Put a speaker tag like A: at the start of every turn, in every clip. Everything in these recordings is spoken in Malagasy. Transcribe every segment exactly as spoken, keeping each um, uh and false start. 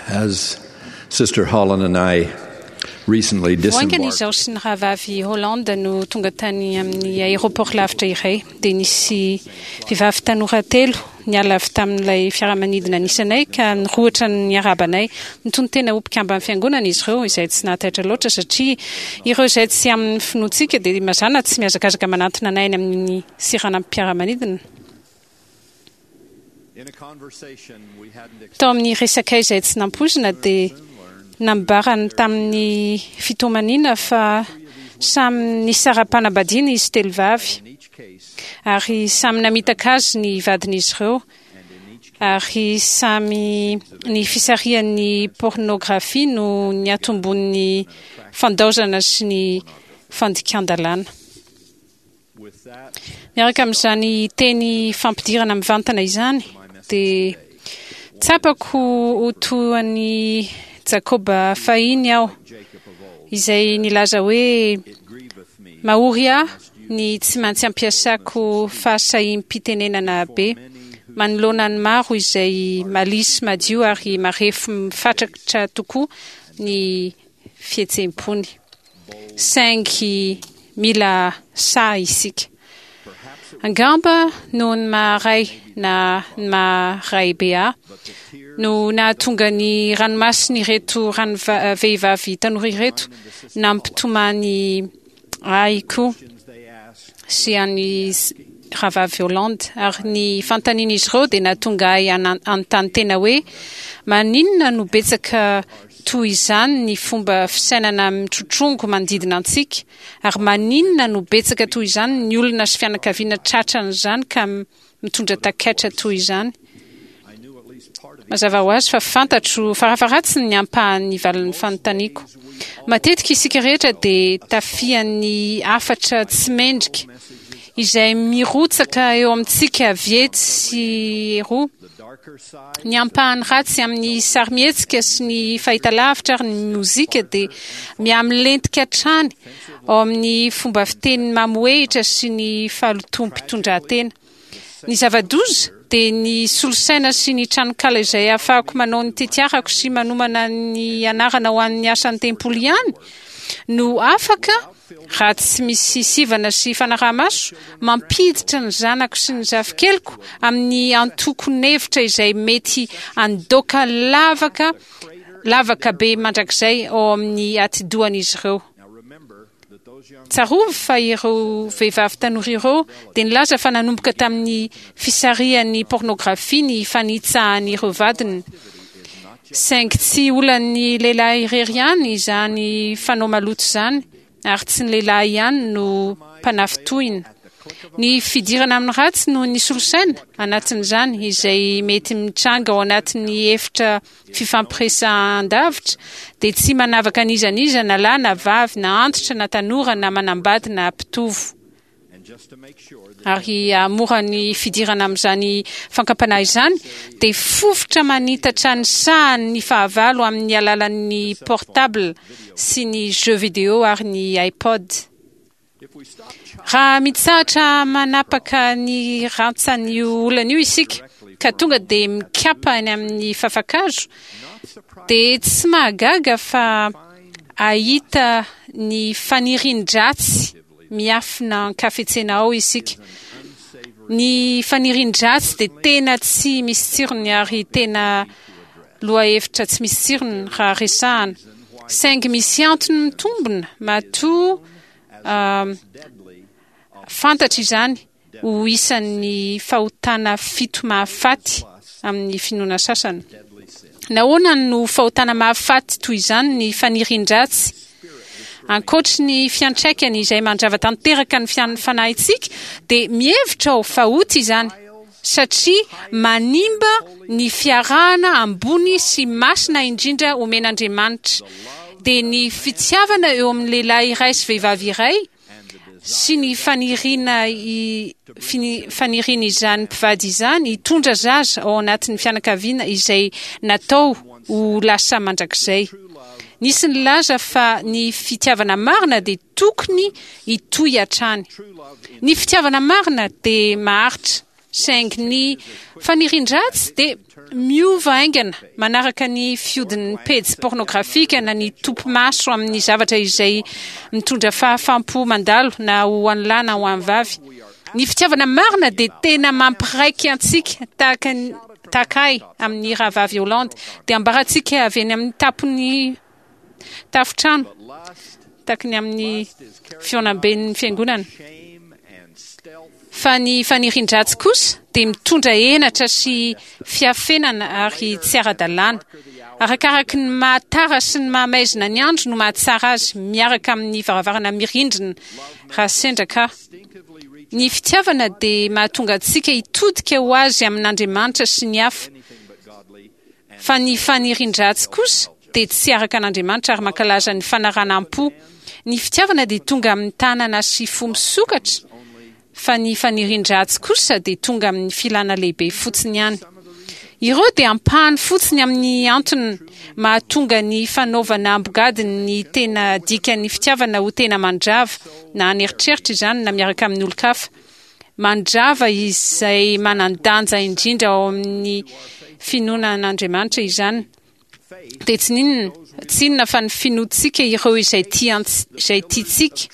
A: As Sister Holland and I recently
B: Vao haingana
A: disembarked
B: izaho sy ny rahavavy Holland no tonga tany amin'ny aéroport lavitra iray, dia nisy vehivavy tanora telo niala avy tamin'ilay fiaramanidina nisy anay ka nirohotra niarahaba anay. Nitonon-tena ho mpikamban'ny fiangonana izy ireo, izay tsy nahataitra loatra satria ireo izay tsy amin'ny finoantsika dia mazàna tsy mihazakazaka manantona anay any amin'ny seranam-piaramanidina. Tao amin'ny resakay izay tsy nampoizina dia nambarany tamin'ny fitomaniana fa samy nisara-panambadiana izy telo vavy ary samy namitaka azy ny vadin'izy ireo ary samy ny fisarihan'ny pornografia no niatombon'ny fandaozana sy ny fandikan-dalàna. Miaraka amin'izany teny fampidirana mivantana izany dia tsapako ho toa an'i Jakoba fahiny aho, izay nilaza hoe, Mahory ahy ny tsy maintsy ampiasako fahasahiam-pitenenana be manoloana ny maro izay malisy madio ary marefo mifatratra tokoa ny fihetseham-pony. Saingy mila sahy isika. Angamba noho ny maha ray na ny maha raibe ahy no nahatonga ny ranomasin'ireto rano vehivavy tanora ireto nampitomany ahy koa sy an'i rahavavy Hollande. Ary ny fanontanian'izy ireo dia nahatonga ahy hanontany tena hoe, maninona no betsaka toy izany ny fomba fisainana mitrotrongo manodidina antsika? Ary maninona no betsaka toy izany ny olona sy fianakaviana tratran'izany ka mitondra takaitra toy izany? Mazava ho azy fa fantatro farafaharatsiny ny ampahan'ny valin'ny fanontaniako. Matetika isika rehetra dia tafihan'ny hafatra tsy mendrika izay mirotsaka eo amintsika avy etsy sy eroa. Ny ampahany ratsy amin'ny sarimihetsika sy ny fahitalavitra ary ny mozika dia mihamilentika hatrany ao amin'ny fomba fiteny mamohehitra sy ny fahalotoam-pitondran-tena. Ny zava-doza dia ny solosaina sy ny tranonkala izay ahafahako manao ny tetiarako sy manomana ny anarana ho an'ny asan'ny tempoly ihany no afaka, raha tsy misy sivana sy fanaraha-maso, mampiditra ny zanako sy ny zafikeliko amin'ny antokon'hevitra izay mety handoaka lavaka lavaka be mandrakizay ao amin'ny atidohan'izy ireo. Tsarovy fa ireo vehivavy tanora ireo dia nilaza fa nanomboka tamin'ny fisarihan'ny pornografia ny fanitsahan'ireo vadiny. Saingy tsy olan'ny lehilahy irery ihany izany fanao maloto izany, ary tsy ny lehilahy ihany no mpanafintohina. Ny fidirana amin'ny ratsy noho ny solosaina anatin'izany, izay mety mitranga ao anatin'ny efitra fifampiresahan-davitra, dia tsy manavaka an'iza n'iza na lahy na vavy, na antitra na tanora, na manambady na mpitovo. Ary hahamora ny fidirana amin'izany fankam-panahy izany, dia fofotra manitatra ny sahan'ny fahavalo amin'ny alalan'ny portable sy ny jeux vidéo ary ny iPod. Raha mitsahatra manapaka ny rantsan'io olana io isika, ka tonga dia mikapa any amin'ny fafa-kazo, dia tsy mahagaga fa hahita ny fanirian-dratsy miafina an-kafetsena ao isika. Ny fanirian-dratsy dia tena tsy misy tsirony ary tena lohahevitra tsy misy tsirony raha resahana. Saingy misy antony mitombina matoa fantatra izany ho isan'ny fahotana fito mahafaty amin'ny finoana sasany. Nahoana no fahotana mahafaty toy izany ny fanirian-dratsy? Ankoatry ny fiantraikany izay mandrava tanteraka ny fanahintsika, dia mihevitra aho fa ota izany, satria manimba ny fiarahana ambony sy masina indrindra omen'Andriamanitra, dia ny fitiavana eo amin'ny lehilahy iray sy vehivavy iray sy ny faniriana fanirian'izany mpivady izany hitondra zaza ao anatin'ny fianakaviana izay natao ho lasa mandrakizay. Nisy nilaza fa ny fitiavana marina dia tokony hitohy hatrany. Ny fitiavana marina dia maharitra, saingy ny fanirian-dratsy dia Miova haingana manaraka ny fiodin'ny pejy pornografika na ny topi-maso amin'ny zavatra izay mitondra fahafaham-po mandalo na ho an'ny lahy na ho an'ny vavy. Ny fitiavana marina dia tena mampiraiky antsika tahaka ny tahaka ahy amin'ny rahavavy Holland dia ambarantsika avy eny amin'ny tampon'ny tafotrano tahaka ny amin'ny fihaonamben'ny fiangonana. Fa ny fanirian-dratsy kosa dia mitondra henatra sy fiafenana ary tsy ara-dalàna. Arakaraky ny mahatara sy ny mahamaizina ny andro no mahatsara azy miaraka amin'ny varavarana mirindrina raha sendra ka. Ny fitiavana dia mahatonga antsika hitodika ho azy amin'Andriamanitra sy ny hafa. Fa ny fanirian-dratsy kosa dia tsy araka an'Andriamanitra ary mankalaza ny fanaranam-po. Ny fitiavana dia tonga amin'ny tanana sy fo misokatra, fa ny fanirian-dratsy kosa dia tonga amin'ny filana lehibe fotsiny ihany. Ireo dia ampahany fotsiny amin'ny antony mahatonga ny fanaovana ambogadiny ny tena dikan'ny fitiavana ho tena mandrava, na an'eritreritra izany na miaraka amin'ny olon-kafa. Mandrava izay manan-danja indrindra ao amin'ny finoana an'Andriamanitra izany. Dia tsy n'inona, tsy inona fa ny finoantsika ireo izay tiants- izay tiantsika.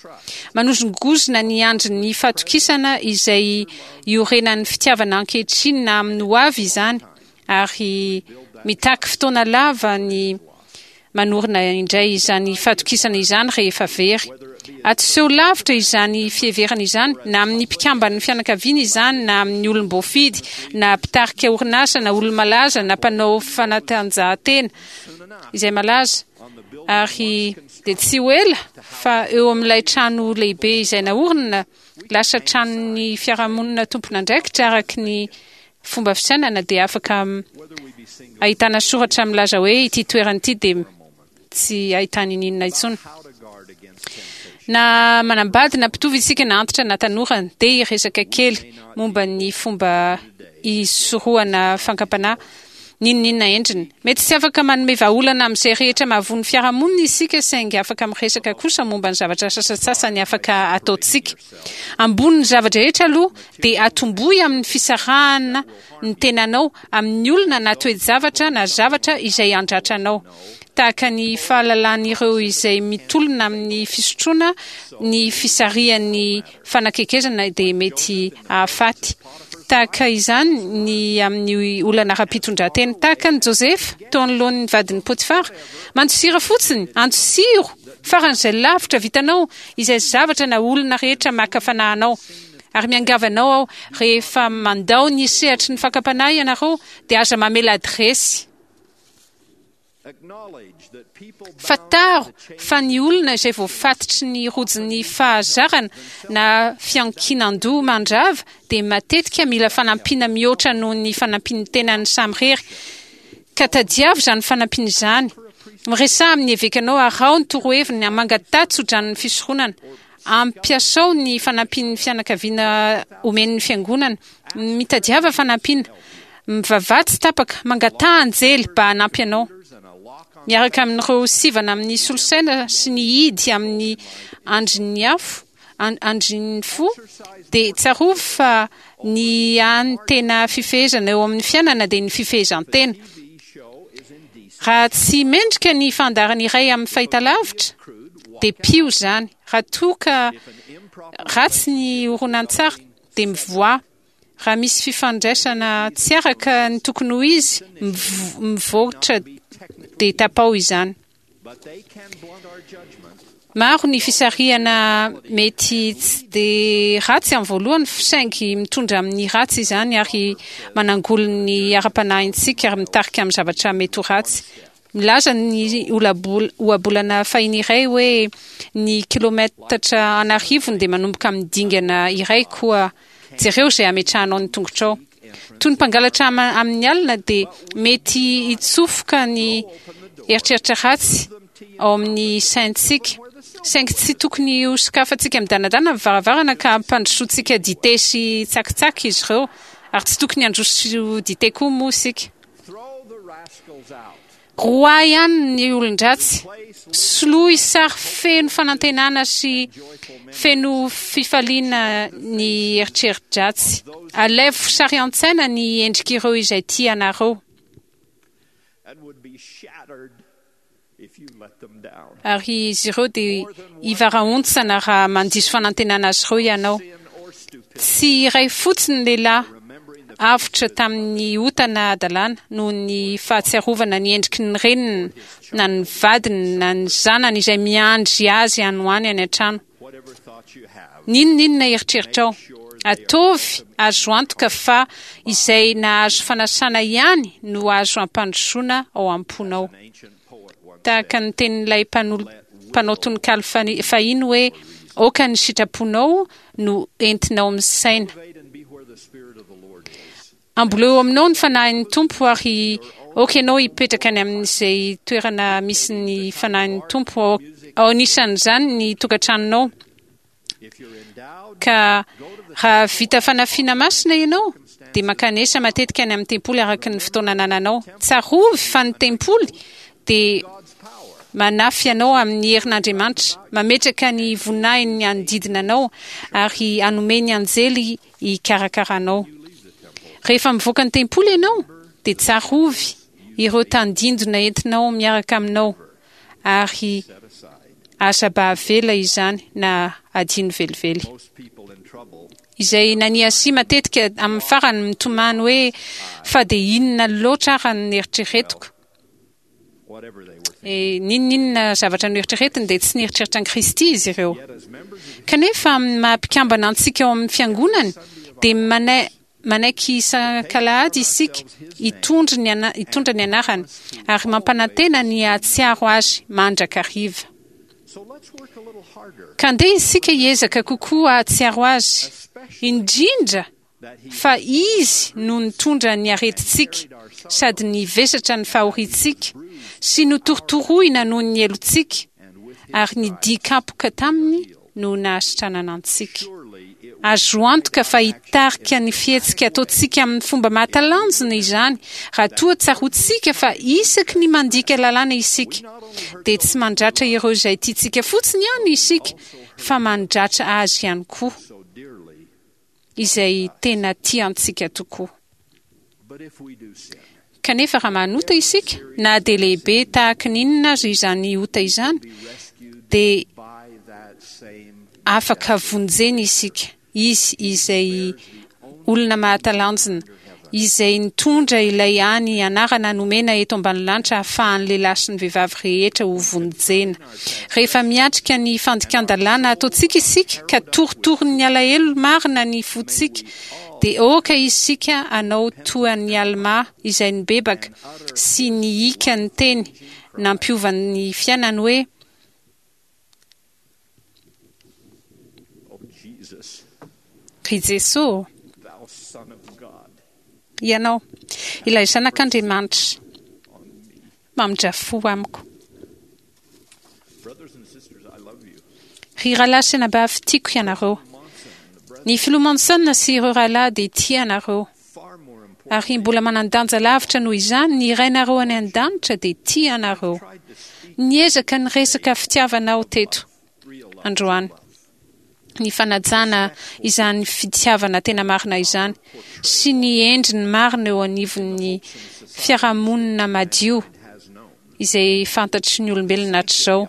B: Manozongozona ny andrin'ny fatokisana izay iorenan'ny fitiavana ankehitriny na amin'ny ho avy izany, ary mitaky fotoana lava ny manorina indray izany fatokisana izany rehefa very. Atoseho lavitra izany fiheverana izany, na amin'ny mpikamban'ny fianakaviana izany, na amin'ny olom-boafidy, na mpitarika orinasa, na olo-malaza, na mpanao fanatanjahantena izay malaza. Ary dia tsy ho ela fa eo amin'ilay trano lehibe izay naorina, lasa tranon'ny fiarahamonina tompon'andraikitra araka ny fomba fisainana, dia afaka ahitana soratra milaza hoe ity toerana ity dia tsy ahitana ininona intsony. Na manambady na mpitovo isika, na antitra na tanora, dia hiresaka kely momba ny fomba hisorohana fakam-panahy, n'inon'inona endriny. Mety tsy afaka manome vahaolana amin'izay rehetra mahavoa ny fiarahamonina isika, saingy afaka miresaka kosa momba ny zavatra sasantsasany afaka ataontsika. Ambonin'ny zava-drehetra aloha dia atombohy amin'ny fisarahana ny tenanao amin'ny olona na toe-javatra na zavatra izay handratra anao. Tahaka ny fahalalan'ireo izay mitolona amin'ny fisotroana ny fisarihan'ny fanakekezana dia mety hahafaty. Tahaka izany ny amin'ny olana ara-pitondran-tena. Tahaka an'i Josefa teo anoloan'ny vadin'i Potifara. Mandosira fotsiny, andosiro faran'izay lavitra vitanao izay zavatra na olona rehetra maka fanahy anao. Ary miangavy anao aho, rehefa mandao ny sehatry ny fakam-panahy ianareo, dia aza mamela adiresy. Fantaro fa ny olona izay voafatotry ny rojin'ny fahazarana na fiankinan-doha mandrava dia matetika mila fanampiana mihoatra noho ny fanampian'ny tenany samirery. Ka tadiavo izany fanampiana izany. Miresaha amin'ny evekanao, araho ny toroheviny, mangataha tsodranon'ny fisoronana. Ampiasao ny fanampian'ny fianakaviana omen'ny fiangonana. Mitadiava fanampiana. Mivavaha tsy tapaka, mangataha anjely mba hanampy anao. Miaraka amin'ireo sivana amin'ny solosaina sy ny hidy amin'ny andrin'ny afo, andrin'ny fo, dia tsarovy fa ny hany tena fifehezana eo amin'ny fiainana dia ny fifehezan-tena. Raha tsy mendrika ny fandaharana iray amin'ny fahitalavitra, dia pio izany. Raha toa ka ratsy ny horonantsary, dia mivoaha. Raha misy fifandraisana tsy araka ny tokony ho izy, mivoatra dia tapao izany. Maro ny fisarihana mety tsy dia ratsy amin'ny voalohany, saingy mitondra amin'ny ratsy izany ary manangoly ny ara-panahintsika ary mitarika amin'ny zavatra mety ho ratsy. Milaza ny ohabolana fahiny iray hoe ny kilometatra an'arivony dia manomboka amin'ny dingana iray, koa jereo izay hametrahanao ny tongotrao. Toy ny mpangalatra amin'ny alina dia mety hitsofoka ny eritreritra ratsy ao amin'ny saintsika, saingy tsy tokony ho sokafantsika midanadana ny varavarana ka hampandrosoantsika dite sy tsakitsaky izy ireo, ary tsy tokony handroso dite koa moa isika. Roa ihany ny olon-dratsy. Soloy sary feno fanantenana sy feno fifaliana ny eritreri-dratsy. Alaivo sary an-tsaina ny endrik'ireo izay tia anareo. Ary izy ireo dia hivarahontsana raha mandiso fanantenana azy ireo ianao. Tsy iray fotsiny lehilahy avotra tamin'ny ota na hadalana noho ny fahatsiarovana ny endriky ny reniny na ny vadiny na ny zanany izay miandry azy any ho any any an-trano. N'inon'inona eritreritrao, ataovy azo antoka fa izay nahazo fanasana ihany no azo ampandrosoana ao am-ponao. Tahaka ny tenin'ilay mpanao tononkalo fahiny hoe aoka ny sitraponao no entinao misaina. Amboleo aminao ny fanahin'ny Tompo ary aoka ianao hipetraka any amin'izay toerana misy ny fanahin'ny Tompo, ao anisan'izany ny tokantranonao. Ka raha vita fanafiana masina ianao dia mankanesa matetika any amin'ny tempoly araka ny fotoana anananao. Tsarovy fa ny tempoly dia manafy anao amin'ny herin'Andriamanitra, mametraka ny voninahiny hanodidina anao ary hanome ny anjely hikarakaranao. Rehefa mivoaka ny tempoly ianao dia tsarovy ireo tandindona entinao miaraka aminao ary aza mba avela izany na adino velively. Izay naniasia matetika amin'ny farany mitomany hoe fa dia inona loatra ary ny eritreretiko. E, n'inon'inona zavatra noeritreretiny dia tsy nieritreritra an'i Kristy izy ireo. Kanefa amin'ny maha mpikambana antsika ao amin'ny fiangonany dia manai manaiky isan-kalahady isika hitondra ny ana, hitondra ny anarany ary mampanantena ny hahatsiaro azy mandrakariva. Ka andeha isika hiezaka kokoa hahatsiaro azy, indrindra fa izy no nitondra ny aretintsika sady nivesatra ny fahoriantsika sy notorotoroina noho ny helotsika ary ny dikapoka taminy no nahasitranana antsika. Azo antoka fa hitarika ny fihetsika ataontsika amin'ny fomba mahatalanjona izany raha toa tsaroantsika fa isaky ny mandika lalàna isika dia tsy mandratra ireo izay tiantsika fotsiny ihany isika fa mandratra azy ihany koa, izay tena tiantsika tokoa. Kanefa raha manota isika, na dia lehibe tahaka ny inona aza izany ota izany, dia afaka vonjena isika. Izy izay olona mahatalanjona, izay nitondra ilay hany anarana nomena eto ambany lanitra ahafahan'ny lehilahy sy ny vehivavy rehetra ho vonjena. Rehefa miatrika ny fandikan-dalàna ataontsika isika ka torotoronin'ny alahelo marina ny fontsika, dia aoka isika hanao toa an'i Alma izay nibebaka sy nihika ny teny nampiova ny fiainany hoe: Ry Jesoa, Ianao, ilay Zanak'Andriamanitra, mamindra fo amiko. Ry rahalahy sy anabavy, tiako ianareo. Ny filoha Monson sy ireo rahalahy dia tia anareo. Ary mbola manan-danja lavitra noho izany, ny Rainareo any an-danitra dia tia anareo. Niezaka niresaka fitiavana aho teto androany. Ny fanajana izany fitiavana tena marina izany sy ny endriny marina eo anivon'ny fiarahamonina madio izay fantatry ny olombelona hatrizao.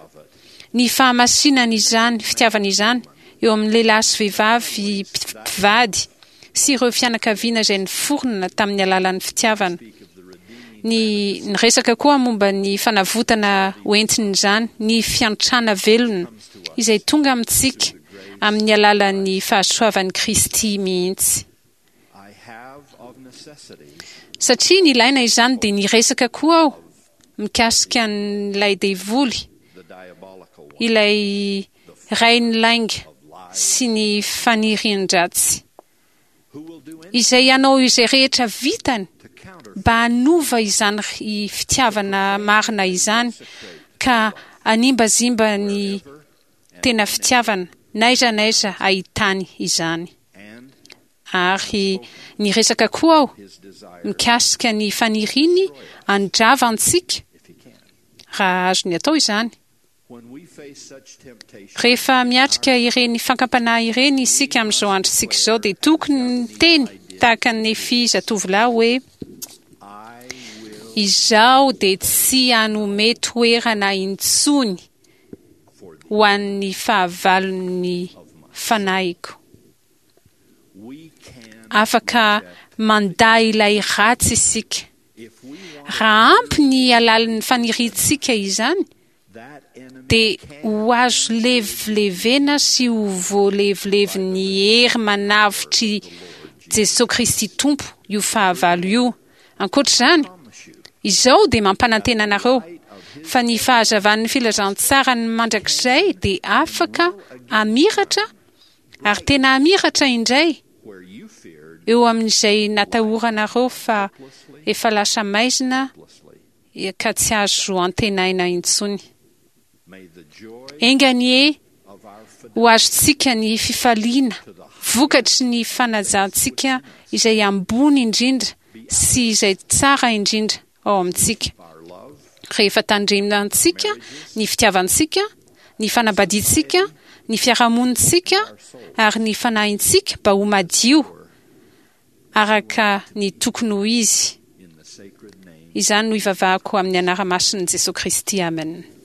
B: Ny fahamasinana izany fitiavana izany eo amin'ny lehilahy sy vehivavy mpivady sy ireo fianakaviana izay niforona tamin'ny alalan'ny fitiavana. Ny niresaka koa momba ny fanavotana hoentin'izany, ny fiantrana velona izay tonga amintsika amin'ny alalan'ny fahasoavan'i Kristy mihitsy. Satria nilaina izany dia niresaka koa aho mikasika an'ilay devoly, ilay rain'ny lainga sy ny fanirian-dratsy, izay hanao izay rehetra vitany mba hanova izany fitiavana marina izany ka hanimbazimba ny tena fitiavana n'aiza n'aiza ahitany izany. Ary niresaka koa aho mikasika ny faniriany handrava antsika raha azony atao izany. Rehefa miatrika ireny fankam-panahy ireny isika amin'izao androntsika izao dia tokony miteny tahaka ny Nefy zatovolahy hoe: Izaho dia tsy hanome toerana intsony ho an'ny fahavalon'ny fanahiko. Afaka mandà ilay ratsy isika. Raha ampy ny halalin'ny faniriantsika izany, dia ho azo levilevena sy ho voalevilevin'ny hery manavotr'i Jesosy Kristy Tompo io fahavalo io. Ankoatr'izany, izao dia mampanantena anareo fa ny fahazavan'ny filazantsarany mandrakizay dia afaka hamiratra ary tena hamiratra indray eo amin'izay natahoranareo fa efa lasa maizina ka tsy azo antenaina intsony. Enga anie ho azontsika ny fifaliana vokatry ny fanajantsika izay ambony indrindra sy izay tsara indrindra ao amintsika. Rehefa tandremantsika ny fitiavantsika, ny fanambadiantsika, ny fiarahamonintsika ary ny fanahintsika mba ho madio araka ny tokony ho izy. Izany no ivavahako amin'ny anarana masin'i Jesosy Kristy. Amen.